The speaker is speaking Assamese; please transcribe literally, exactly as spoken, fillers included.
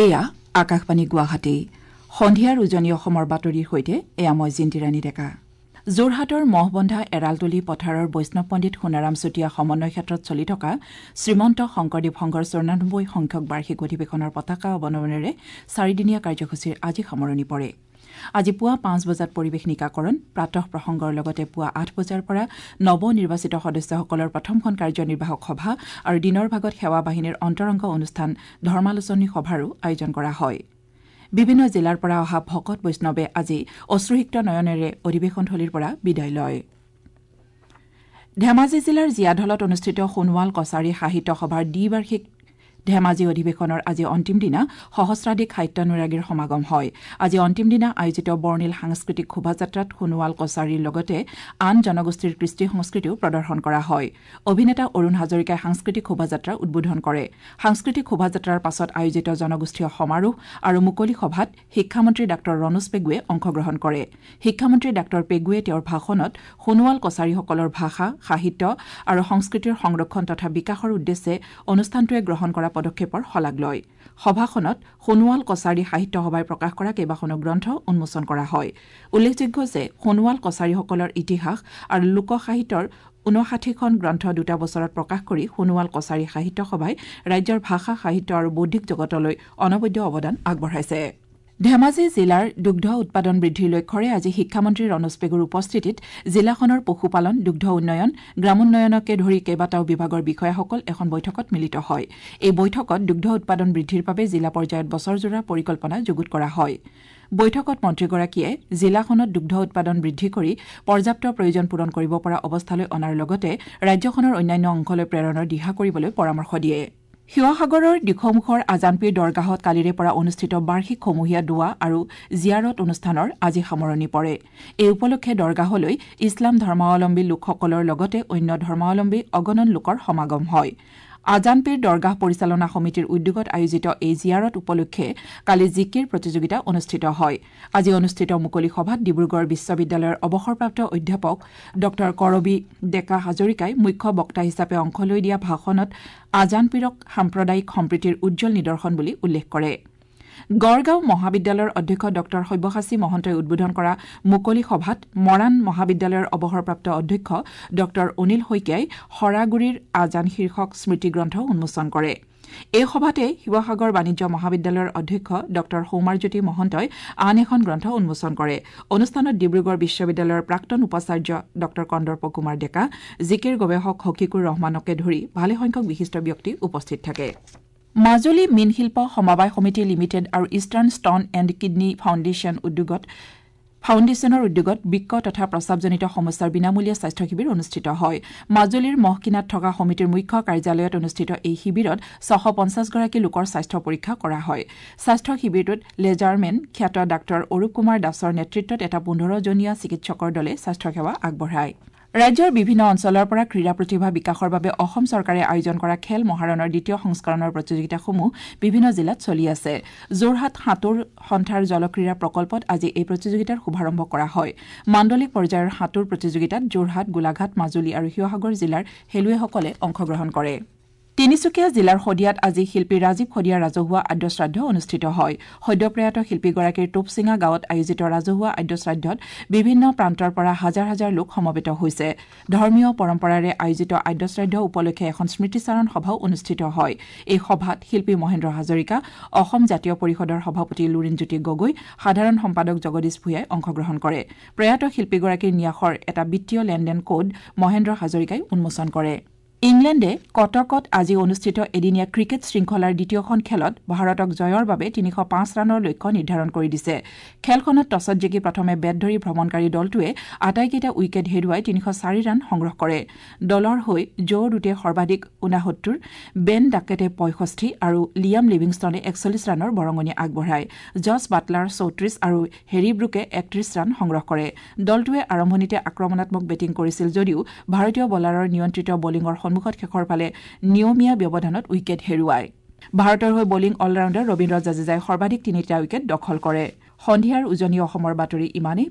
এয়া আকাশবাণী গুৱাহাটী। সন্ধিয়াৰ উজনি অসমৰ বাতৰিৰ সৈতে এয়া মই জিন্তিৰাণী ডেকা। যোৰহাটৰ মহবন্ধা এৰালতলি পথাৰৰ বৈষ্ণৱ পণ্ডিত সোণাৰাম চুতীয়া সমন্বয় ক্ষেত্ৰত চলি থকা শ্ৰীমন্ত শংকৰদেৱ সংঘৰ চৌৰানব্বৈ সংখ্যক বাৰ্ষিক অধিৱেশনৰ পতাকা অৱনমনেৰে চাৰিদিনীয়া কাৰ্যসূচীৰ আজি সামৰণি পৰে। আজি পুৱা পাঁচ বজাত পৰিৱেশ নিকাকৰণ, প্ৰাতঃ প্ৰসংগৰ লগতে পুৱা আঠ বজাৰ পৰা নৱ নিৰ্বাচিত সদস্যসকলৰ প্ৰথমখন কাৰ্যনিৰ্বাহক সভা আৰু দিনৰ ভাগত সেৱা বাহিনীৰ অন্তৰংগ অনুষ্ঠান ধৰ্মালোচনী সভাৰো আয়োজন কৰা হয়। বিভিন্ন জিলাৰ পৰা অহা ভকত বৈষ্ণৱে আজি অশ্ৰুসিক্ত নয়নেৰে অধিৱেশনথলীৰ পৰা বিদায় লয়। ধেমাজি জিলাৰ জীয়াঢলত অনুষ্ঠিত সোণোৱাল কছাৰী সাহিত্য সভাৰ দ্বিবাৰ্ষিক ধেমাজি অধিৱেশনৰ আজি অন্তিম দিনা সহস্ৰাধিক সাহিত্যানুৰাগীৰ সমাগম হয়। আজি অন্তিম দিনা আয়োজিত বৰ্ণিল সাংস্কৃতিক শোভাযাত্ৰাত সোণোৱাল কছাৰীৰ লগতে আন জনগোষ্ঠীৰ কৃষ্টি সংস্কৃতিও প্ৰদৰ্শন কৰা হয়। অভিনেতা অৰুণ হাজৰিকাই সাংস্কৃতিক শোভাযাত্ৰা উদ্বোধন কৰে। সাংস্কৃতিক শোভাযাত্ৰাৰ পাছত আয়োজিত জনগোষ্ঠীয় সমাৰোহ আৰু মুকলি সভাত শিক্ষামন্ত্ৰী ডাঃ ৰণোজ পেগুৱে অংশগ্ৰহণ কৰে। শিক্ষামন্ত্ৰী ডাঃ পেগুৱে তেওঁৰ ভাষণত সোণোৱাল কছাৰীসকলৰ ভাষা, সাহিত্য আৰু সংস্কৃতিৰ সংৰক্ষণ তথা বিকাশৰ উদ্দেশ্যে অনুষ্ঠানটোৱে গ্ৰহণ কৰা পদক্ষেপৰ শলাগ লয়। সভাখনত সোণোৱাল কছাৰী সাহিত্য সভাই প্ৰকাশ কৰা কেইবাখনো গ্ৰন্থ উন্মোচন কৰা হয়। উল্লেখযোগ্য যে সোণোৱাল কছাৰীসকলৰ ইতিহাস আৰু লোক সাহিত্যৰ ঊনষাঠিখন গ্ৰন্থ দুটা বছৰত প্ৰকাশ কৰি সোণোৱাল কছাৰী সাহিত্য সভাই ৰাজ্যৰ ভাষা, সাহিত্য আৰু বৌদ্ধিক জগতলৈ অনবদ্য অৱদান আগবঢ়াইছে। ধেমাজি জিলাৰ দুগ্ধ উৎপাদন বৃদ্ধিৰ লক্ষ্যৰে আজি শিক্ষামন্ত্ৰী ৰণোজ পেগুৰ উপস্থিতিত জিলাখনৰ পশুপালন, দুগ্ধ উন্নয়ন, গ্ৰামোন্নয়নকে ধৰি কেইবাটাও বিভাগৰ বিষয়াসকল এখন বৈঠকত মিলিত হয়। এই বৈঠকত দুগ্ধ উৎপাদন বৃদ্ধিৰ বাবে জিলা পৰ্যায়ত বছৰজোৰা পৰিকল্পনা যুগুত কৰা হয়। বৈঠকত মন্ত্ৰীগৰাকীয়ে জিলাখনত দুগ্ধ উৎপাদন বৃদ্ধি কৰি পৰ্যাপ্ত প্ৰয়োজন পূৰণ কৰিব পৰা অৱস্থালৈ অনাৰ লগতে ৰাজ্যখনৰ অন্যান্য অংশলৈ প্ৰেৰণৰ দিহা কৰিবলৈ পৰামৰ্শ দিয়ে। শিৱসাগৰৰ দিখৌমুখৰ আজানপীৰ দৰগাহত কালিৰে পৰা অনুষ্ঠিত বাৰ্ষিক সমূহীয়া দোৱা আৰু জিয়াৰত অনুষ্ঠানৰ আজি সামৰণি পৰে। এই উপলক্ষে দৰগাহলৈ ইছলাম ধৰ্মাৱলম্বী লোকসকলৰ লগতে অন্য ধৰ্মাৱলম্বী অগণন লোকৰ সমাগম হয়। আজানপীৰ দৰগাহ পৰিচালনা সমিতিৰ উদ্যোগত আয়োজিত এই জিয়াৰত উপলক্ষে কালি জিকিৰ প্ৰতিযোগিতা অনুষ্ঠিত হয়। আজি অনুষ্ঠিত মুকলি সভাত ডিব্ৰুগড় বিশ্ববিদ্যালয়ৰ অৱসৰপ্ৰাপ্ত অধ্যাপক ডঃ কৰবী ডেকা হাজৰিকাই মুখ্য বক্তা হিচাপে অংশ লৈ দিয়া ভাষণত আজানপীৰক সাম্প্ৰদায়িক সম্প্ৰীতিৰ উজ্জ্বল নিদৰ্শন বুলি উল্লেখ কৰে। গড়গাঁও মহাবিদ্যালয়ৰ অধ্যক্ষ ডঃ সব্যসাচী মহন্তই উদ্বোধন কৰা মুকলি সভাত মৰাণ মহাবিদ্যালয়ৰ অৱসৰপ্ৰাপ্ত অধ্যক্ষ ডঃ অনিল শইকীয়াই শৰাগুৰিৰ আজান শীৰ্ষক স্মৃতিগ্ৰন্থ উন্মোচন কৰে। এই সভাতে শিৱসাগৰ বাণিজ্য মহাবিদ্যালয়ৰ অধ্যক্ষ ডঃ সৌমাৰজ্যোতি মহন্তই আন এখন গ্ৰন্থ উন্মোচন কৰে। অনুষ্ঠানত ডিব্ৰুগড় বিশ্ববিদ্যালয়ৰ প্ৰাক্তন উপাচাৰ্য ডঃ কন্দৰ্প কুমাৰ ডেকা, জিকিৰ গৱেষক হকিকুৰ ৰহমানকে ধৰি ভালেসংখ্যক বিশিষ্ট ব্যক্তি উপস্থিত থাকে। মাজুলী মীনশিল্প সমবায় সমিতি লিমিটেড আৰু Eastern Stone and Kidney Foundation উদ্যোগত ফাউণ্ডেশ্যনৰ উদ্যোগত বৃক্ক তথা প্ৰস্ৰাৱজনিত সমস্যাৰ বিনামূলীয়া স্বাস্থ্য শিবিৰ অনুষ্ঠিত হয়। মাজুলীৰ মহকিনাত থকা সমিতিৰ মুখ্য কাৰ্যালয়ত অনুষ্ঠিত এই শিবিৰত ছশ পঞ্চাছগৰাকী লোকৰ স্বাস্থ্য পৰীক্ষা কৰা হয়। স্বাস্থ্য শিবিৰটোত লেজাৰমেন খ্যাত ডাঃ অৰূপ কুমাৰ দাসৰ নেতৃত্বত এটা পোন্ধৰজনীয়া চিকিৎসকৰ দলে স্বাস্থ্যসেৱা আগবঢ়ায়। ৰাজ্যৰ বিভিন্ন অঞ্চলৰ পৰা ক্ৰীড়া প্ৰতিভা বিকাশৰ বাবে অসম চৰকাৰে আয়োজন কৰা খেল মহাৰণৰ দ্বিতীয় সংস্কৰণৰ প্ৰতিযোগিতাসমূহ বিভিন্ন জিলাত চলি আছে। যোৰহাট সাঁতোৰ সন্থাৰ জলক্ৰীড়া প্ৰকল্পত আজি এই প্ৰতিযোগিতাৰ শুভাৰম্ভ কৰা হয়। মাণ্ডলিক পৰ্যায়ৰ সাঁতোৰ প্ৰতিযোগিতাত যোৰহাট, গোলাঘাট, মাজুলী আৰু শিৱসাগৰ জিলাৰ খেলুৱৈসকলে অংশগ্ৰহণ কৰে। তিনিচুকীয়া জিলাৰ শদিয়াত আজি শিল্পী ৰাজীৱ শদিয়াৰ ৰাজহুৱা আদ্যশ্ৰাদ্ধ অনুষ্ঠিত হয়। সদ্যপ্ৰয়াত শিল্পীগৰাকীৰ টোপচিঙা গাঁৱত আয়োজিত ৰাজহুৱা আদ্যশ্ৰাদ্ধত বিভিন্ন প্ৰান্তৰ পৰা হাজাৰ হাজাৰ লোক সমবেত হৈছে। ধৰ্মীয় পৰম্পৰাৰে আয়োজিত আদ্যশ্ৰাদ্ধ উপলক্ষে এখন স্মৃতিচাৰণ সভাও অনুষ্ঠিত হয়। এই সভাত শিল্পী মহেন্দ্ৰ হাজৰিকা, অসম জাতীয় পৰিষদৰ সভাপতি লুৰিণজ্যোতি গগৈ, সাধাৰণ সম্পাদক জগদীশ ভূঞাই অংশগ্ৰহণ কৰে। প্ৰয়াত শিল্পীগৰাকীৰ ন্যাসৰ এটা বিত্তীয় লেনদেন কোড মহেন্দ্ৰ হাজৰিকাই উন্মোচন কৰে। ইংলেণ্ডে কটকত আজি অনুষ্ঠিত এদিনীয়া ক্ৰিকেট শৃংখলাৰ দ্বিতীয়খন খেলত ভাৰতক জয়ৰ বাবে তিনিশ পাঁচ ৰানৰ লক্ষ্য নিৰ্ধাৰণ কৰি দিছে। খেলখনত টছত জিকি প্ৰথমে বেট ধৰি ভ্ৰমণকাৰী দলটোৱে আটাইকেইটা উইকেট হেৰুৱাই তিনিশ চাৰি ৰান সংগ্ৰহ কৰে। দলৰ হৈ জো ৰুটে সৰ্বাধিক ঊনসত্তৰ, বেন ডাকেটে পঁয়ষষ্ঠি আৰু লিয়াম লিভিংষ্টনে একচল্লিছ ৰানৰ বৰঙণি আগবঢ়ায়। জছ বাটলাৰ চৌত্ৰিছ আৰু হেৰী ব্ৰুকে একত্ৰিছ ৰান সংগ্ৰহ কৰে। দলটোৱে আৰম্ভণিতে আক্ৰমণাত্মক বেটিং কৰিছিল যদিও ভাৰতীয় বলাৰৰ নিয়ন্ত্ৰিত বলিঙৰ সন্মুখত শেষৰ ফালে নিয়মীয়া ব্যৱধানত উইকেট হেৰুৱায়। ভাৰতৰ হৈ বলিং অলৰাউণ্ডাৰ ৰবীন্দ্ৰ জাদেজাই সৰ্বাধিক তিনিটা উইকেট দখল কৰে। সন্ধিয়াৰ উজনি অসমৰ বাতৰি ইমানেই।